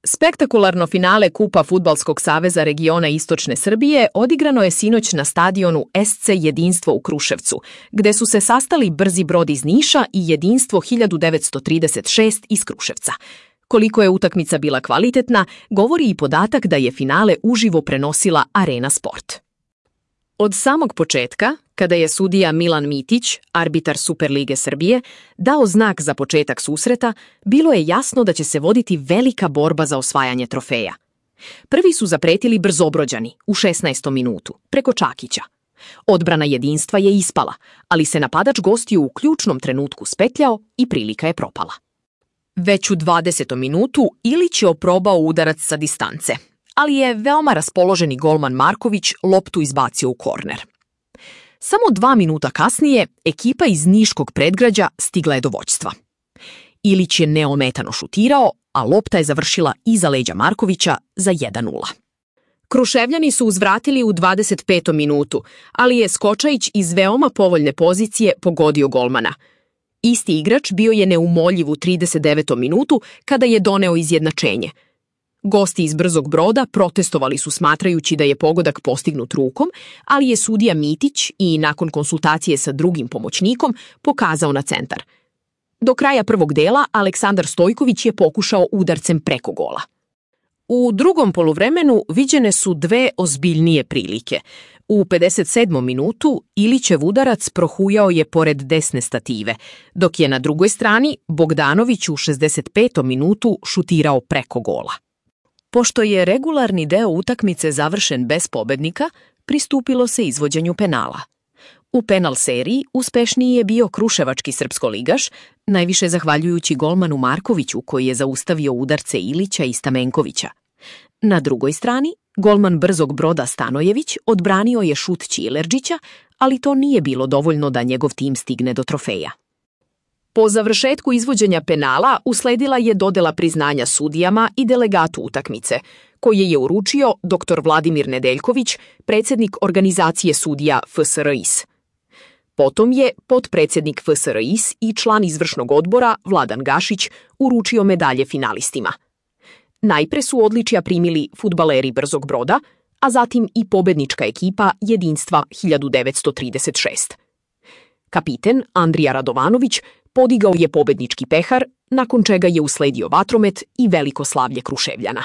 Spektakularno finale Kupa Fudbalskog saveza regiona Istočne Srbije odigrano je sinoć na stadionu SC Jedinstvo u Kruševcu, gde su se sastali Brzi Brod iz Niša i Jedinstvo 1936 iz Kruševca. Koliko je utakmica bila kvalitetna, govori i podatak da je finale uživo prenosila Arena Sport. Od samog početka, kada je sudija Milan Mitić, arbitar Superlige Srbije, dao znak za početak susreta, bilo je jasno da će se voditi velika borba za osvajanje trofeja. Prvi su zapretili Brzobrođani u 16. minutu, preko Čakića. Odbrana Jedinstva je ispala, ali se napadač gostiju u ključnom trenutku spetljao i prilika je propala. Već u 20. minutu Ilić je oprobao udarac sa distance, ali je veoma raspoloženi golman Marković loptu izbacio u korner. Samo 2 minuta kasnije ekipa iz niškog predgrađa stigla je do vođstva. Ilić je neometano šutirao, a lopta je završila iza leđa Markovića za 1:0. Kruševljani su uzvratili u 25. minutu, ali je Skočajić iz veoma povoljne pozicije pogodio golmana. Isti igrač bio je neumoljiv u 39. minutu kada je doneo izjednačenje. Gosti iz Brzog Broda protestovali su smatrajući da je pogodak postignut rukom, ali je sudija Mitić i nakon konsultacije sa drugim pomoćnikom pokazao na centar. Do kraja prvog dela Aleksandar Stojković je pokušao udarcem preko gola. U drugom poluvremenu viđene su dve ozbiljnije prilike. U 57. minutu Ilićev udarac prohujao je pored desne stative, dok je na drugoj strani Bogdanović u 65. minutu šutirao preko gola. Pošto je regularni deo utakmice završen bez pobednika, pristupilo se izvođenju penala. U penal seriji uspešniji je bio kruševački srpskoligaš, najviše zahvaljujući golmanu Markoviću koji je zaustavio udarce Ilića i Stamenkovića. Na drugoj strani, golman Brzog Broda Stanojević odbranio je šut Ćilerđića, ali to nije bilo dovoljno da njegov tim stigne do trofeja. Po završetku izvođenja penala usledila je dodela priznanja sudijama i delegatu utakmice, koje je uručio dr. Vladimir Nedeljković, predsjednik organizacije sudija FSRIS. Potom je potpredsjednik FSRIS i član izvršnog odbora Vladan Gašić uručio medalje finalistima. Najpre su odličja primili fudbaleri Brzog Broda, a zatim i pobednička ekipa Jedinstva 1936. Kapiten Andrija Radovanović podigao je pobednički pehar, nakon čega je usledio vatromet i veliko slavlje Kruševljana.